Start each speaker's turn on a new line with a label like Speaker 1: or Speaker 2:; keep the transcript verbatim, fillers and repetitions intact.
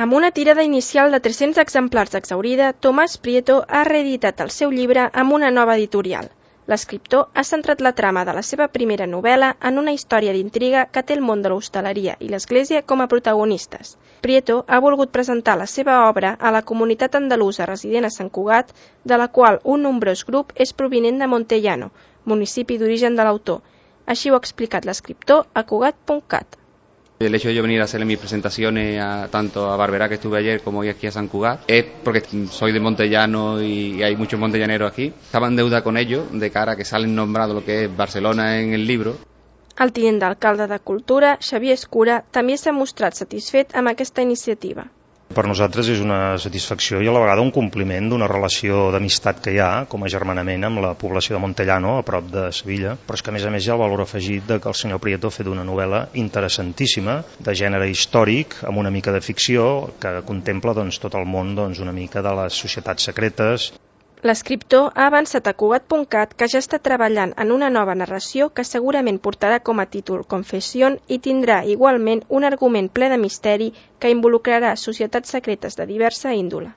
Speaker 1: Amb una tirada inicial de tres-cents exemplars exhaurida, Tomàs Prieto ha reeditat el seu llibre amb una nova editorial. L'escriptor ha centrat la trama de la seva primera novel·la en una història d'intriga que té el món de l'hostaleria i l'Església com a protagonistes. Prieto ha volgut presentar la seva obra a la comunitat andalusa resident a Sant Cugat, de la qual un nombrós grup és provinent de Montellano, municipi d'origen de l'autor. Així ho ha explicat l'escriptor a Cugat punt cat.
Speaker 2: El hecho de yo venir a hacerle mis presentaciones a, tanto a Barberá, que estuve ayer, como hoy aquí a San Cugat, es porque soy de Montellano y hay muchos montellaneros aquí. Estaba en deuda con ellos de cara a que salen nombrado lo que es Barcelona en el libro.
Speaker 1: El tinent d'alcalde de Cultura, Xavier Escura, també s'ha mostrat satisfet amb aquesta iniciativa.
Speaker 3: Per nosaltres és una satisfacció i a la vegada un compliment d'una relació d'amistat que hi ha com a germanament amb la població de Montellano, a prop de Sevilla, però és que a més a més hi ha el valor afegit de que el senyor Prieto ha fet una novel·la interessantíssima, de gènere històric, amb una mica de ficció, que contempla doncs, tot el món doncs, una mica de les societats secretes.
Speaker 1: L'escriptor ha avançat a Cugat punt cat que ja està treballant en una nova narració que segurament portarà com a títol Confessió i tindrà igualment un argument ple de misteri que involucrarà societats secretes de diversa índole.